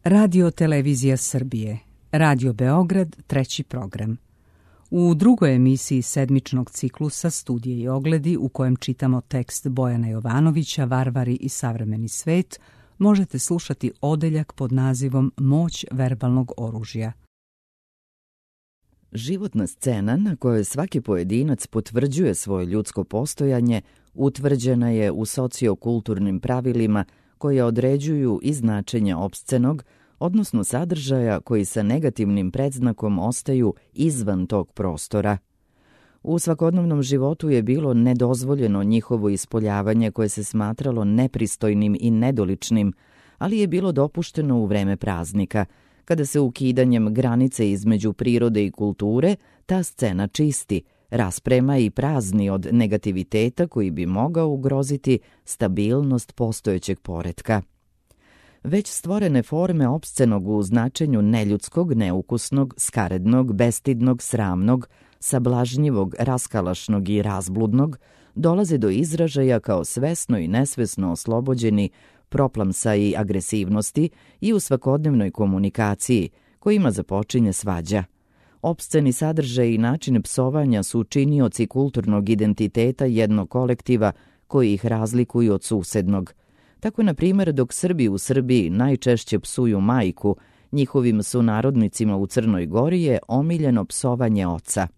Radio Televizija Srbije, Radio Beograd, treći program. U drugoj emisiji sedmičnog ciklusa Studije i ogledi, u kojem čitamo tekst Bojana Jovanovića, Varvari i savremeni svet, možete slušati odeljak pod nazivom Moć verbalnog oružja. Životna scena na kojoj svaki pojedinac potvrđuje svoje ljudsko postojanje utvrđena je u sociokulturnim pravilima koje određuju i značenje opscenog, odnosno sadržaja koji sa negativnim predznakom ostaju izvan tog prostora. U svakodnevnom životu je bilo nedozvoljeno njihovo ispoljavanje koje se smatralo nepristojnim i nedoličnim, ali je bilo dopušteno u vreme praznika, kada se ukidanjem granice između prirode i kulture ta scena čisti, rasprema i prazni od negativiteta koji bi mogao ugroziti stabilnost postojećeg poretka. Već stvorene forme opscenog u značenju neljudskog, neukusnog, skarednog, bestidnog, sramnog, sablažnjivog, raskalašnog i razbludnog dolaze do izražaja kao svesno i nesvesno oslobođeni proplamsa i agresivnosti i u svakodnevnoj komunikaciji kojima započinje svađa. Opsceni sadržaj i način psovanja su činioci kulturnog identiteta jednog kolektiva koji ih razlikuju od susednog. Tako, na primjer, dok Srbi u Srbiji najčešće psuju majku, njihovim sunarodnicima u Crnoj Gori je omiljeno psovanje oca.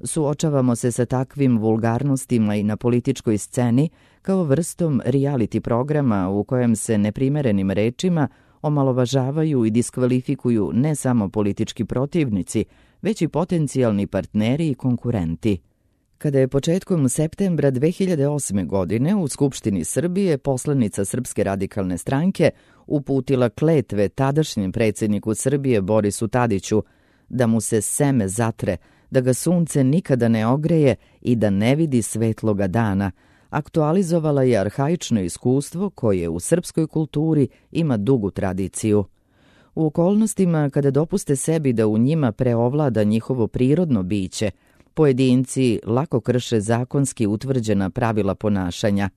Suočavamo se sa takvim vulgarnostima i na političkoj sceni kao vrstom reality programa u kojem se neprimerenim rečima omalovažavaju i diskvalifikuju ne samo politički protivnici, već i potencijalni partneri i konkurenti. Kada je početkom septembra 2008. godine u Skupštini Srbije poslanica Srpske radikalne stranke uputila kletve tadašnjem predsjedniku Srbije Borisu Tadiću da mu se seme zatre, da ga sunce nikada ne ogreje i da ne vidi svetloga dana, aktualizovala je arhaično iskustvo koje u srpskoj kulturi ima dugu tradiciju. U okolnostima kada dopuste sebi da u njima preovlada njihovo prirodno biće, pojedinci lako krše zakonski utvrđena pravila ponašanja.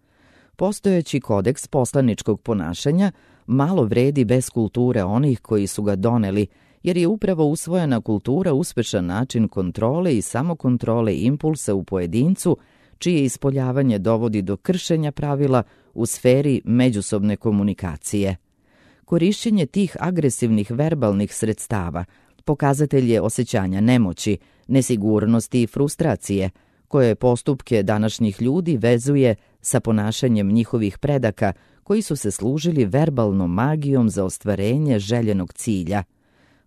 Postojeći kodeks poslaničkog ponašanja malo vredi bez kulture onih koji su ga doneli, jer je upravo usvojena kultura uspešan način kontrole i samokontrole impulsa u pojedincu, čije ispoljavanje dovodi do kršenja pravila u sferi međusobne komunikacije. Korišćenje tih agresivnih verbalnih sredstava pokazatelj je osjećanja nemoći, nesigurnosti i frustracije, koje postupke današnjih ljudi vezuje sa ponašanjem njihovih predaka koji su se služili verbalnom magijom za ostvarenje željenog cilja.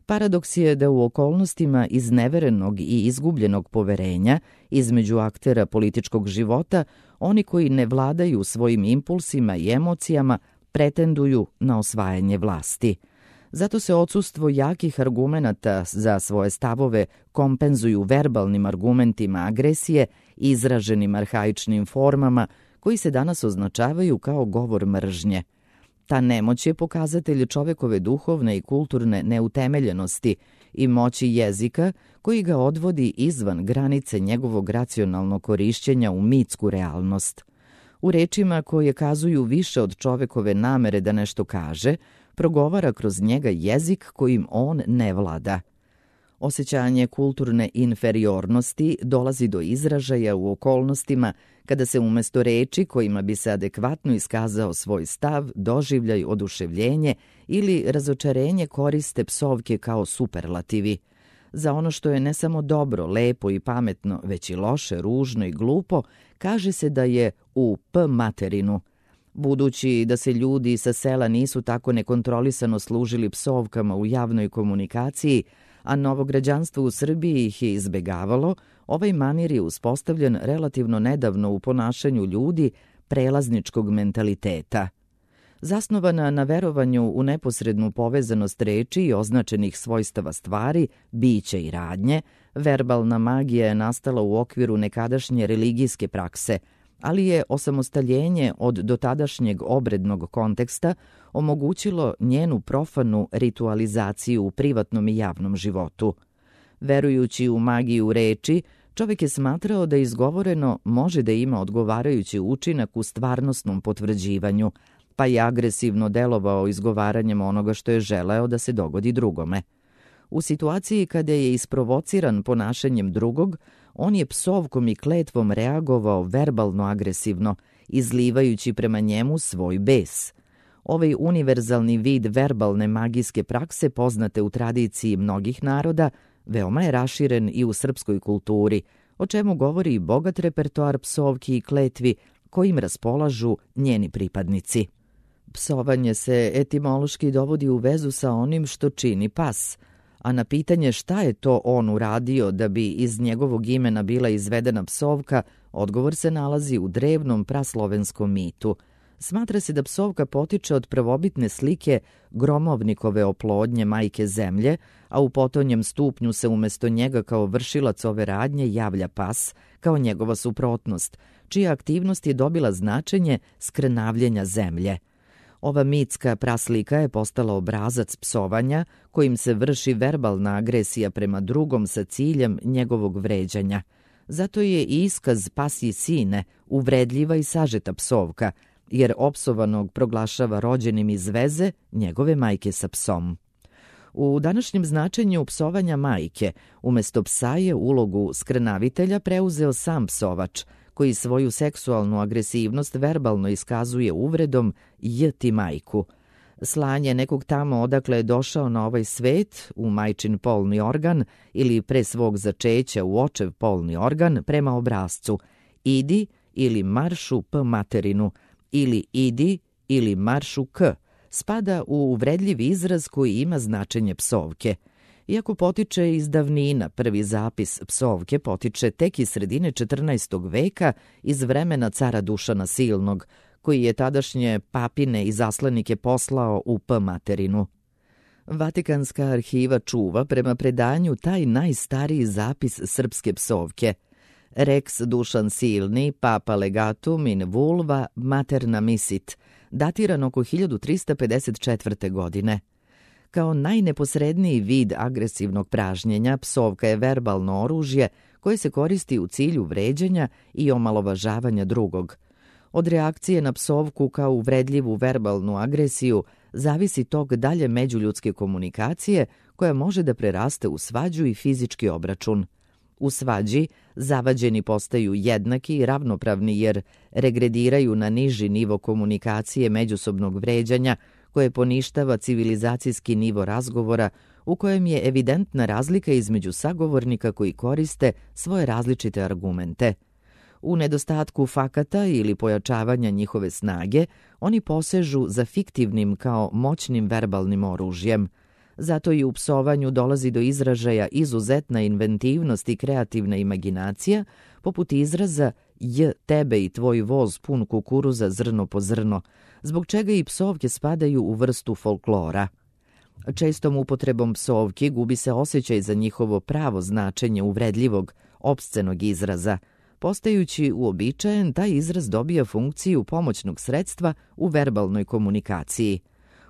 Paradoks je da u okolnostima izneverenog i izgubljenog poverenja između aktera političkog života, oni koji ne vladaju svojim impulsima i emocijama pretenduju na osvajanje vlasti. Zato se odsustvo jakih argumenata za svoje stavove kompenzuju verbalnim argumentima agresije izraženim arhaičnim formama koji se danas označavaju kao govor mržnje. Ta nemoć je pokazatelj čovekove duhovne i kulturne neutemeljenosti i moći jezika koji ga odvodi izvan granice njegovog racionalnog korišćenja u mitsku realnost. U rečima koje kazuju više od čovekove namere da nešto kaže, progovara kroz njega jezik kojim on ne vlada. Osjećanje kulturne inferiornosti dolazi do izražaja u okolnostima kada se umjesto reči kojima bi se adekvatno iskazao svoj stav, doživljaj, oduševljenje ili razočarenje koriste psovke kao superlativi. Za ono što je ne samo dobro, lepo i pametno, već i loše, ružno i glupo, kaže se da je u p materinu. Budući da se ljudi sa sela nisu tako nekontrolisano služili psovkama u javnoj komunikaciji, a novograđanstvo u Srbiji ih je izbegavalo, ovaj manir je uspostavljen relativno nedavno u ponašanju ljudi prelazničkog mentaliteta. Zasnovana na verovanju u neposrednu povezanost reči i označenih svojstava stvari, bića i radnje, verbalna magija je nastala u okviru nekadašnje religijske prakse, ali je osamostaljenje od dotadašnjeg obrednog konteksta omogućilo njenu profanu ritualizaciju u privatnom i javnom životu. Verujući u magiju reči, čovjek je smatrao da izgovoreno može da ima odgovarajući učinak u stvarnosnom potvrđivanju, pa je agresivno delovao izgovaranjem onoga što je želeo da se dogodi drugome. U situaciji kada je isprovociran ponašanjem drugog, on je psovkom i kletvom reagovao verbalno agresivno, izlivajući prema njemu svoj bes. Ovaj univerzalni vid verbalne magijske prakse, poznate u tradiciji mnogih naroda, veoma je raširen i u srpskoj kulturi, o čemu govori bogat repertoar psovki i kletvi kojim raspolažu njeni pripadnici. Psovanje se etimološki dovodi u vezu sa onim što čini pas, a na pitanje šta je to on uradio da bi iz njegovog imena bila izvedena psovka, odgovor se nalazi u drevnom praslovenskom mitu. Smatra se da psovka potiče od prvobitne slike gromovnikove oplodnje majke zemlje, a u potonjem stupnju se umjesto njega kao vršilac ove radnje javlja pas, kao njegova suprotnost, čija aktivnost je dobila značenje skrnavljenja zemlje. Ova mitska praslika je postala obrazac psovanja kojim se vrši verbalna agresija prema drugom sa ciljem njegovog vređanja. Zato je i iskaz pasji sine uvredljiva i sažeta psovka, jer opsovanog proglašava rođenim iz veze njegove majke sa psom. U današnjem značenju psovanja majke, umjesto psa je ulogu skrnavitelja preuzeo sam psovač, koji svoju seksualnu agresivnost verbalno iskazuje uvredom "j ti majku". Slanje nekog tamo odakle je došao na ovaj svet, u majčin polni organ ili pre svog začeća u očev polni organ prema obrascu "idi" ili "maršu p materinu" ili "idi" ili "maršu k", spada u uvredljiv izraz koji ima značenje psovke. Iako potiče iz davnina, prvi zapis psovke potiče tek iz sredine 14. veka iz vremena cara Dušana Silnog, koji je tadašnje papine i zaslenike poslao u p materinu. Vatikanska arhiva čuva prema predanju taj najstariji zapis srpske psovke. Rex Dušan Silni, papa legatum in vulva materna misit, datiran oko 1354. godine. Kao najneposredniji vid agresivnog pražnjenja, psovka je verbalno oružje koje se koristi u cilju vređanja i omalovažavanja drugog. Od reakcije na psovku kao uvredljivu verbalnu agresiju zavisi tok dalje međuljudske komunikacije koja može da preraste u svađu i fizički obračun. U svađi zavađeni postaju jednaki i ravnopravni jer regrediraju na niži nivo komunikacije međusobnog vređanja koje poništava civilizacijski nivo razgovora u kojem je evidentna razlika između sagovornika koji koriste svoje različite argumente. U nedostatku fakata ili pojačavanja njihove snage, oni posežu za fiktivnim kao moćnim verbalnim oružjem. Zato i u psovanju dolazi do izražaja izuzetna inventivnost i kreativna imaginacija, poput izraza "j tebe i tvoj voz pun kukuruza zrno po zrno", zbog čega i psovke spadaju u vrstu folklora. Čestom upotrebom psovki gubi se osjećaj za njihovo pravo značenje uvredljivog, opscenog izraza. Postajući uobičajen, taj izraz dobija funkciju pomoćnog sredstva u verbalnoj komunikaciji.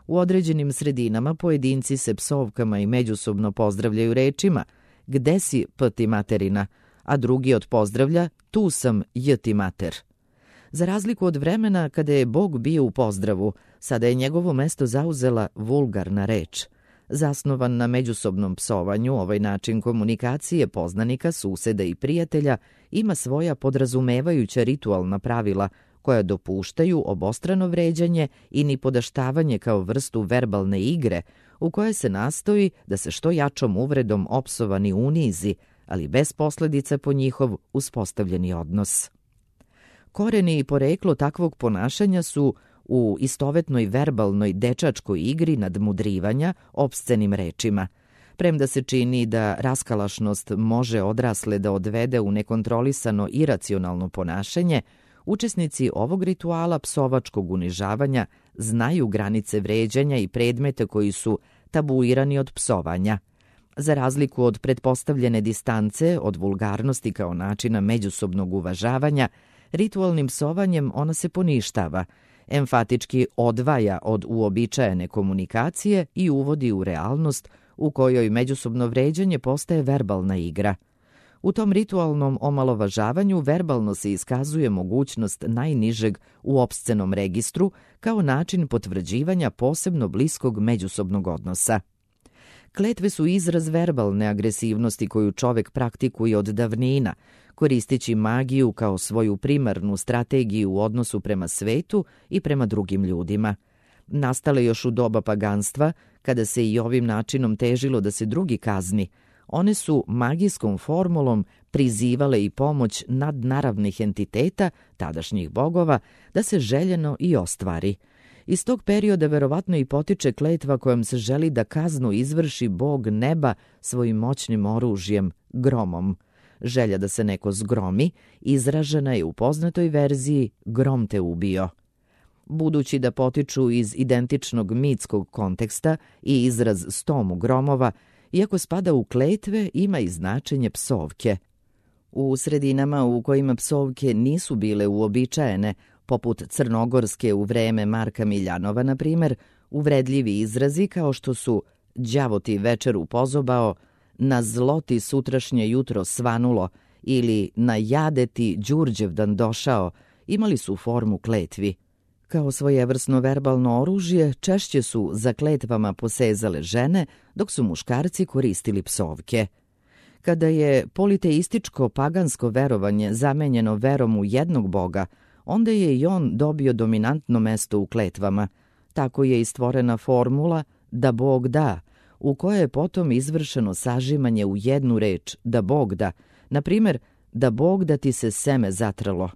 U određenim sredinama pojedinci se psovkama i međusobno pozdravljaju rečima "gde si p ti materina", a drugi od pozdravlja "tu sam j ti mater". Za razliku od vremena kada je Bog bio u pozdravu, sada je njegovo mesto zauzela vulgarna reč. Zasnovan na međusobnom psovanju, ovaj način komunikacije poznanika, suseda i prijatelja ima svoja podrazumevajuća ritualna pravila koja dopuštaju obostrano vređanje i nipodaštavanje kao vrstu verbalne igre u kojoj se nastoji da se što jačom uvredom opsovani unizi, ali bez posljedica po njihov uspostavljeni odnos. Koreni i poreklo takvog ponašanja su u istovetnoj verbalnoj dečačkoj igri nadmudrivanja opscenim rečima. Premda se čini da raskalašnost može odrasle da odvede u nekontrolisano iracionalno ponašanje, učesnici ovog rituala psovačkog unižavanja znaju granice vređanja i predmete koji su tabuirani od psovanja. Za razliku od pretpostavljene distance od vulgarnosti kao načina međusobnog uvažavanja, ritualnim psovanjem ona se poništava, emfatički odvaja od uobičajene komunikacije i uvodi u realnost u kojoj međusobno vređanje postaje verbalna igra. U tom ritualnom omalovažavanju verbalno se iskazuje mogućnost najnižeg u opscenom registru kao način potvrđivanja posebno bliskog međusobnog odnosa. Kletve su izraz verbalne agresivnosti koju čovek praktikuje od davnina, koristeći magiju kao svoju primarnu strategiju u odnosu prema svetu i prema drugim ljudima. Nastale još u doba paganstva, kada se i ovim načinom težilo da se drugi kazni, one su magijskom formulom prizivale i pomoć nadnaravnih entiteta, tadašnjih bogova, da se željeno i ostvari. Iz tog perioda verovatno i potiče kletva kojom se želi da kaznu izvrši bog neba svojim moćnim oružjem, gromom. Želja da se neko zgromi izražena je u poznatoj verziji grom te ubio. Budući da potiču iz identičnog mitskog konteksta i izraz stomu gromova, iako spada u kletve, ima i značenje psovke. U sredinama u kojima psovke nisu bile uobičajene, poput Crnogorske u vreme Marka Miljanova, na primer, uvredljivi izrazi kao što su đavo ti večeru pozobao, na zlo ti sutrašnje jutro svanulo ili na jade ti Đurđevdan došao, imali su formu kletvi. Kao svojevrsno verbalno oružje, češće su za kletvama posezale žene, dok su muškarci koristili psovke. Kada je politeističko pagansko verovanje zamenjeno verom u jednog boga, onda je i on dobio dominantno mesto u kletvama. Tako je i stvorena formula da Bog da, u kojoj je potom izvršeno sažimanje u jednu reč da Bog da, na primjer da Bog da ti se seme zatralo.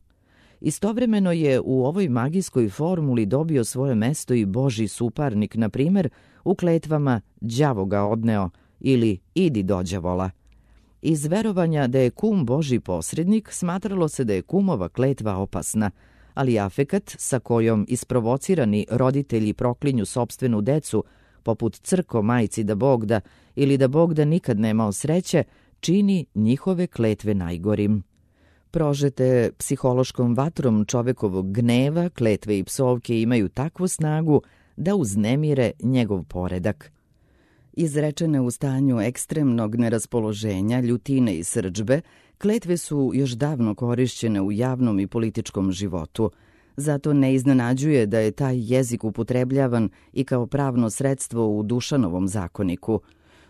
Istovremeno je u ovoj magijskoj formuli dobio svoje mesto i Božji suparnik, na primjer u kletvama đavo ga odneo ili idi do đavola. Iz verovanja da je kum Božji posrednik smatralo se da je kumova kletva opasna, ali afekat sa kojom isprovocirani roditelji proklinju sopstvenu decu, poput crko majci da Bog da ili da Bog da nikad nemao sreće, čini njihove kletve najgorim. Prožete psihološkom vatrom čovekovog gneva, kletve i psovke imaju takvu snagu da uznemire njegov poredak. Izrečene u stanju ekstremnog neraspoloženja, ljutine i srdžbe, kletve su još davno korišćene u javnom i političkom životu. Zato ne iznenađuje da je taj jezik upotrebljavan i kao pravno sredstvo u Dušanovom zakoniku.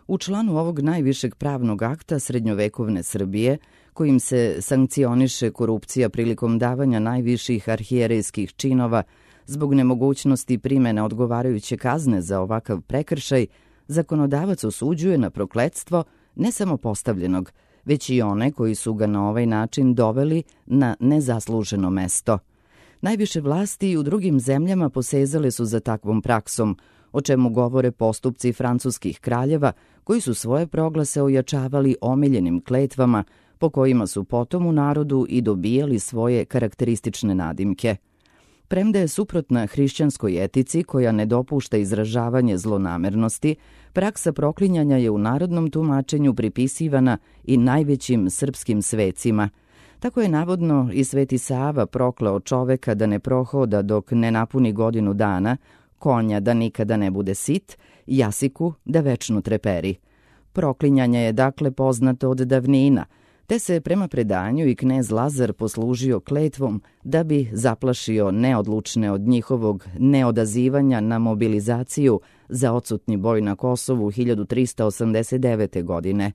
U članu ovog najvišeg pravnog akta srednjovekovne Srbije, kojim se sankcioniše korupcija prilikom davanja najviših arhijerejskih činova zbog nemogućnosti primene odgovarajuće kazne za ovakav prekršaj, zakonodavac osuđuje na prokletstvo ne samo postavljenog, već i one koji su ga na ovaj način doveli na nezasluženo mesto. Najviše vlasti i u drugim zemljama posezale su za takvom praksom, o čemu govore postupci francuskih kraljeva koji su svoje proglase ojačavali omiljenim kletvama po kojima su potom u narodu i dobijali svoje karakteristične nadimke. Premda je suprotna hrišćanskoj etici koja ne dopušta izražavanje zlonamernosti, praksa proklinjanja je u narodnom tumačenju pripisivana i najvećim srpskim svecima. Tako je navodno i Sveti Sava proklao čoveka da ne prohoda dok ne napuni godinu dana, konja da nikada ne bude sit, jasiku da večno treperi. Proklinjanje je dakle poznato od davnina, te se prema predanju i knez Lazar poslužio kletvom da bi zaplašio neodlučne od njihovog neodazivanja na mobilizaciju za odsutni boj na Kosovu 1389. godine.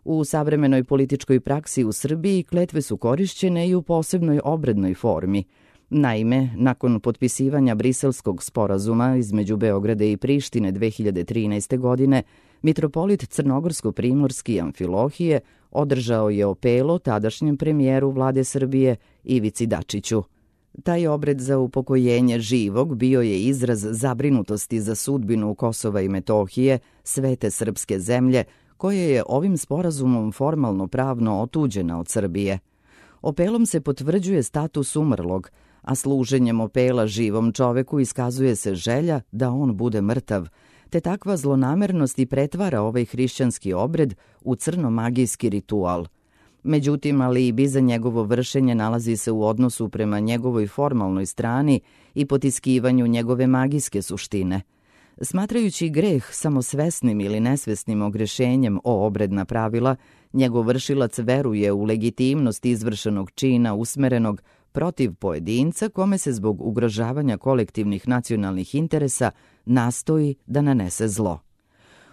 U savremenoj političkoj praksi u Srbiji kletve su korišćene i u posebnoj obrednoj formi. Naime, nakon potpisivanja Briselskog sporazuma između Beograda i Prištine 2013. godine, mitropolit crnogorsko-primorski Amfilohije održao je opelo tadašnjem premijeru vlade Srbije Ivici Dačiću. Taj obred za upokojenje živog bio je izraz zabrinutosti za sudbinu Kosova i Metohije, svete srpske zemlje, koje je ovim sporazumom formalno pravno otuđena od Srbije. Opelom se potvrđuje status umrlog, a služenjem opela živom čoveku iskazuje se želja da on bude mrtav, te takva zlonamernost i pretvara ovaj hrišćanski obred u crnomagijski ritual. Međutim, alibi za njegovo vršenje nalazi se u odnosu prema njegovoj formalnoj strani i potiskivanju njegove magijske suštine. Smatrajući greh samosvesnim ili nesvesnim ogrešenjem o obredna pravila Njegov vršilac veruje u legitimnost izvršenog čina usmerenog protiv pojedinca kome se zbog ugrožavanja kolektivnih nacionalnih interesa nastoji da nanese zlo.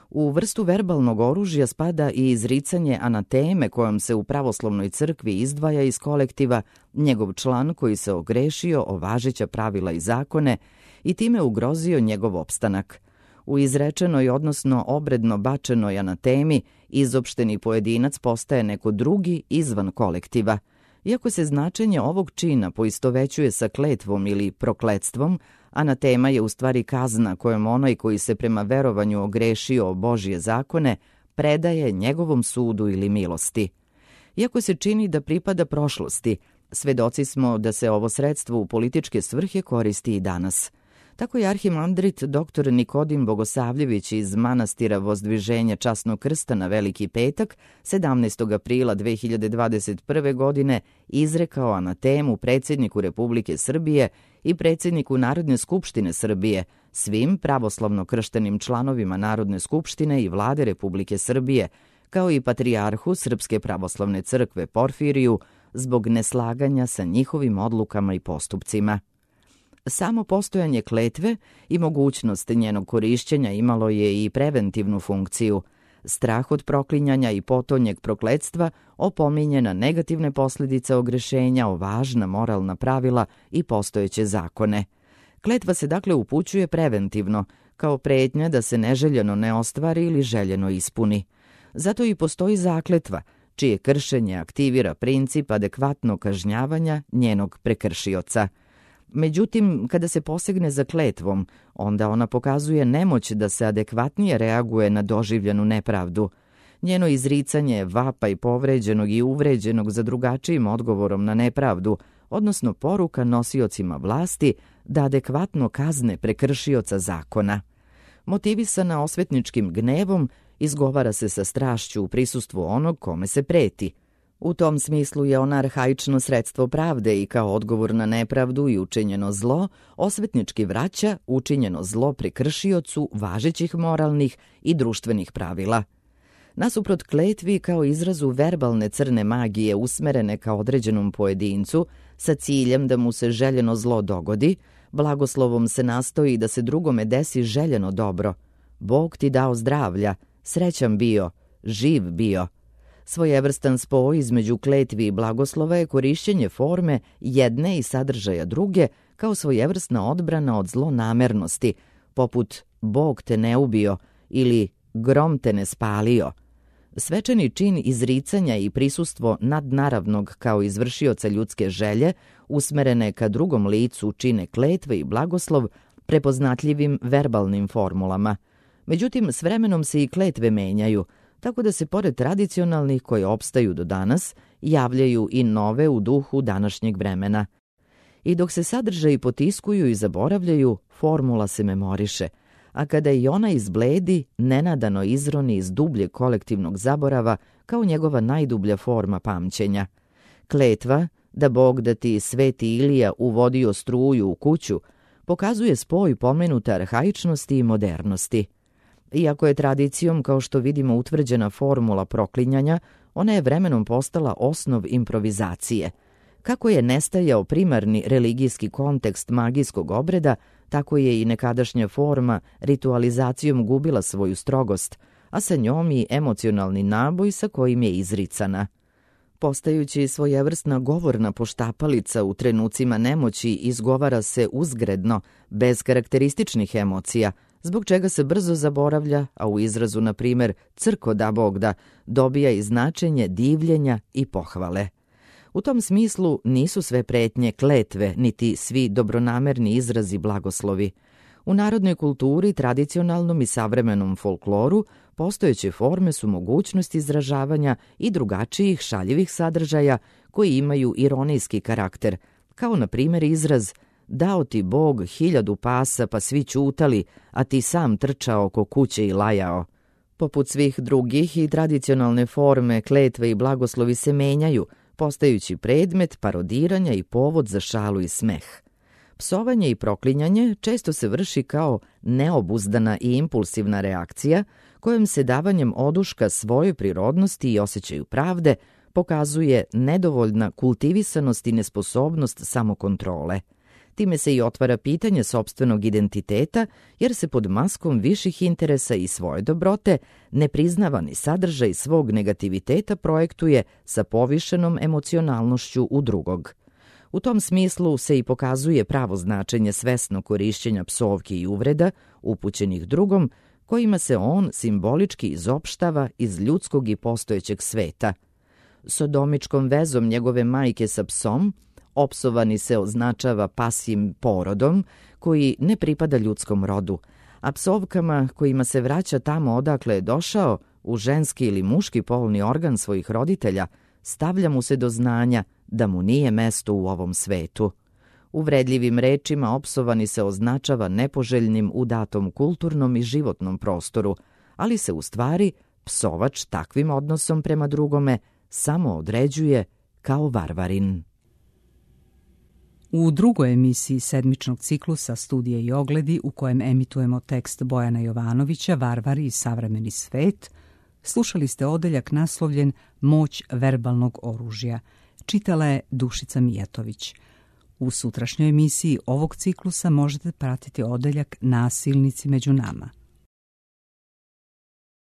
U vrstu verbalnog oružja spada i izricanje anateme kojom se u pravoslavnoj crkvi izdvaja iz kolektiva njegov član koji se ogrešio o važeća pravila i zakone i time ugrozio njegov opstanak. U izrečenoj, odnosno obredno bačenoj anatemi, izopšteni pojedinac postaje neko drugi izvan kolektiva. Iako se značenje ovog čina poistovećuje sa kletvom ili prokletstvom, anatema je u stvari kazna kojom onaj koji se prema verovanju ogrešio o Božje zakone predaje njegovom sudu ili milosti. Iako se čini da pripada prošlosti, svedoci smo da se ovo sredstvo u političke svrhe koristi i danas. Tako je arhimandrit dr. Nikodim Bogosavljević iz manastira Vozdviženja Časnog krsta na Veliki petak 17. aprila 2021. godine izrekao anatemu predsjedniku Republike Srbije i predsjedniku Narodne skupštine Srbije, svim pravoslavno krštenim članovima Narodne skupštine i Vlade Republike Srbije, kao i patrijarhu Srpske pravoslavne crkve Porfiriju zbog neslaganja sa njihovim odlukama i postupcima. Samo postojanje kletve i mogućnost njenog korišćenja imalo je i preventivnu funkciju. Strah od proklinjanja i potonjeg prokletstva opominje na negativne posljedice ogrešenja o važna moralna pravila i postojeće zakone. Kletva se dakle upućuje preventivno, kao pretnja da se neželjeno ne ostvari ili željeno ispuni. Zato i postoji zakletva, čije kršenje aktivira princip adekvatnog kažnjavanja njenog prekršioca. Međutim, kada se posegne za kletvom, onda ona pokazuje nemoć da se adekvatnije reaguje na doživljenu nepravdu. Njeno izricanje je vapaj povređenog i uvređenog za drugačijim odgovorom na nepravdu, odnosno poruka nosiocima vlasti da adekvatno kazne prekršioca zakona. Motivisana osvetničkim gnevom, izgovara se sa strašću u prisustvu onog kome se preti. U tom smislu je ona arhaično sredstvo pravde i kao odgovor na nepravdu i učinjeno zlo, osvetnički vraća učinjeno zlo prekršiocu važećih moralnih i društvenih pravila. Nasuprot kletvi kao izrazu verbalne crne magije usmerene ka određenom pojedincu sa ciljem da mu se željeno zlo dogodi, blagoslovom se nastoji da se drugome desi željeno dobro. Bog ti dao zdravlja, srećan bio, živ bio. Svojevrstan spoj između kletvi i blagoslova je korišćenje forme jedne i sadržaja druge kao svojevrsna odbrana od zlonamernosti, poput Bog te ne ubio ili grom te ne spalio. Svečani čin izricanja i prisustvo nadnaravnog kao izvršioca ljudske želje usmerene ka drugom licu čine kletve i blagoslov prepoznatljivim verbalnim formulama. Međutim, s vremenom se i kletve menjaju, tako da se pored tradicionalnih koje opstaju do danas, javljaju i nove u duhu današnjeg vremena. I dok se sadržaji potiskuju i zaboravljaju, formula se memoriše, a kada i ona izbledi, nenadano izroni iz dubljeg kolektivnog zaborava kao njegova najdublja forma pamćenja. Kletva, da Bog da ti sveti Ilija uvodio struju u kuću, pokazuje spoj pomenute arhaičnosti i modernosti. Iako je tradicijom, kao što vidimo, utvrđena formula proklinjanja, ona je vremenom postala osnov improvizacije. Kako je nestajao primarni religijski kontekst magijskog obreda, tako je i nekadašnja forma ritualizacijom gubila svoju strogost, a sa njom i emocionalni naboj sa kojim je izricana. Postajući svojevrsna govorna poštapalica u trenucima nemoći, izgovara se uzgredno, bez karakterističnih emocija, zbog čega se brzo zaboravlja, a u izrazu, na primjer, crko da Bog da, dobija i značenje divljenja i pohvale. U tom smislu nisu sve pretnje kletve, niti svi dobronamerni izrazi blagoslovi. U narodnoj kulturi, tradicionalnom i savremenom folkloru, postojeće forme su mogućnost izražavanja i drugačijih šaljivih sadržaja koji imaju ironijski karakter, kao na primjer izraz dao ti Bog 1000 pasa pa svi ćutali, a ti sam trčao oko kuće i lajao. Poput svih drugih i tradicionalne forme, kletve i blagoslovi se menjaju, postajući predmet parodiranja i povod za šalu i smeh. Psovanje i proklinjanje često se vrši kao neobuzdana i impulsivna reakcija kojom se davanjem oduška svojoj prirodnosti i osjećaju pravde pokazuje nedovoljna kultivisanost i nesposobnost samokontrole. Time se i otvara pitanje sopstvenog identiteta, jer se pod maskom viših interesa i svoje dobrote nepriznavani sadržaj svog negativiteta projektuje sa povišenom emocionalnošću u drugog. U tom smislu se i pokazuje pravo značenje svesnog korišćenja psovki i uvreda upućenih drugom, kojima se on simbolički izopštava iz ljudskog i postojećeg sveta. Sodomičkom vezom njegove majke sa psom, opsovani se označava pasjim porodom koji ne pripada ljudskom rodu, a psovkama kojima se vraća tamo odakle je došao, u ženski ili muški polni organ svojih roditelja, stavlja mu se do znanja da mu nije mesto u ovom svetu. Uvredljivim rečima opsovani se označava nepoželjnim u datom kulturnom i životnom prostoru, ali se u stvari psovač takvim odnosom prema drugome samo određuje kao varvarin. U drugoj emisiji sedmičnog ciklusa Studije i ogledi, u kojem emitujemo tekst Bojana Jovanovića Varvari i savremeni svet, slušali ste odeljak naslovljen Moć verbalnog oružja. Čitala je Dušica Mijatović. U sutrašnjoj emisiji ovog ciklusa možete pratiti odeljak Nasilnici među nama.